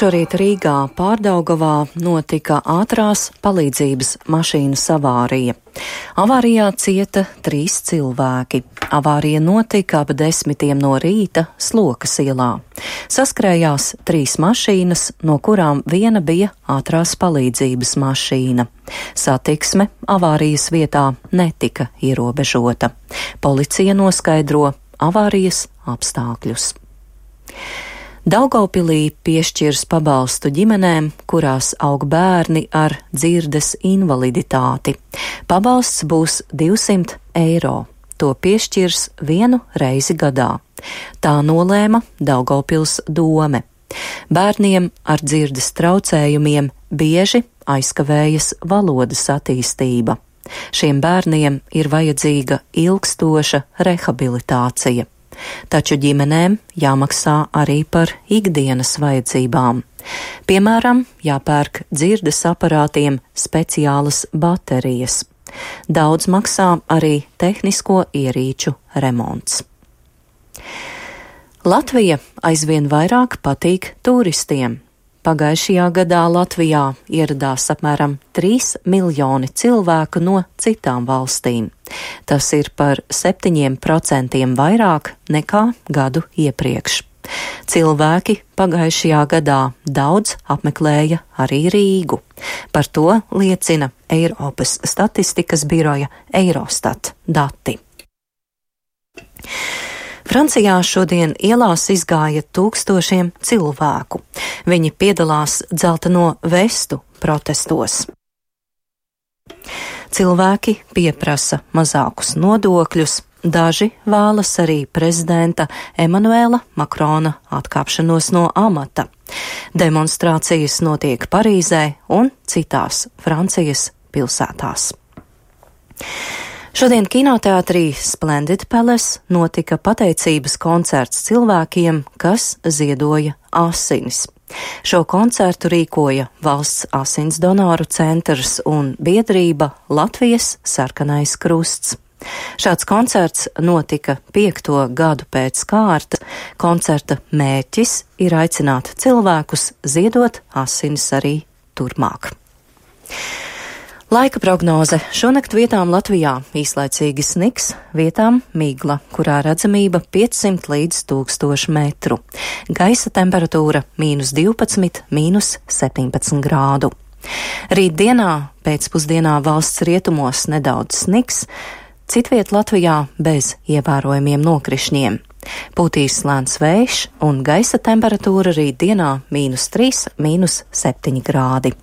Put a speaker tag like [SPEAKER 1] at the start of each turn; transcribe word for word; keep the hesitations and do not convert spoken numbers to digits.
[SPEAKER 1] Šorīt Rīgā Pārdaugavā notika ātrās palīdzības mašīnas avārija. Avārijā cieta trīs cilvēki. Avārija notika ap desmitiem no rīta Slokas ielā. Saskrējās trīs mašīnas, no kurām viena bija ātrās palīdzības mašīna. Satiksme avārijas vietā netika ierobežota. Policija noskaidro avārijas apstākļus. Daugavpilī piešķirs pabalstu ģimenēm, kurās aug bērni ar dzirdes invaliditāti. Pabalsts būs divsimt eiro. To piešķirs vienu reizi gadā. Tā nolēma Daugavpils dome. Bērniem ar dzirdes traucējumiem bieži aizkavējas valodas attīstība. Šiem bērniem ir vajadzīga ilgstoša rehabilitācija. Taču ģimenēm jāmaksā arī par ikdienas vajadzībām. Piemēram, jāpērk dzirdes aparātiem speciālas baterijas. Daudz maksā arī tehnisko ierīču remonts. Latvija aizvien vairāk patīk turistiem. Pagājušajā gadā Latvijā ieradās apmēram trīs miljoni cilvēku no citām valstīm. Tas ir par septiņiem procentiem vairāk nekā gadu iepriekš. Cilvēki pagājušajā gadā daudz apmeklēja arī Rīgu. Par to liecina Eiropas statistikas biroja Eurostat dati. Francijā šodien ielās izgāja tūkstošiem cilvēku. Viņi piedalās dzelteno vestu protestos. Cilvēki pieprasa mazākus nodokļus, daži vēlas arī prezidenta Emanuela Makrona atkāpšanos no amata. Demonstrācijas notiek Parīzē un citās Francijas pilsētās. Šodien kinoteātrī Splendid Palace notika pateicības koncerts cilvēkiem, kas ziedoja asinis. Šo koncertu rīkoja Valsts asins donoru centrs un biedrība Latvijas Sarkanais krusts. Šāds koncerts notika piekto gadu pēc kārtas. Koncerta mērķis ir aicināt cilvēkus ziedot asinis arī turpmāk. Laika prognoze. Šonakt vietām Latvijā īslaicīgi sniks, vietām migla, kurā redzamība piecsimt līdz tūkstoš metru. Gaisa temperatūra mīnus divpadsmit, mīnus septiņpadsmit grādu. Rītdienā pēcpusdienā valsts rietumos nedaudz sniks, citviet Latvijā bez ievērojumiem nokrišņiem. Pūtīs lēns vējš un gaisa temperatūra rītdienā mīnus trīs, mīnus septiņi grādi.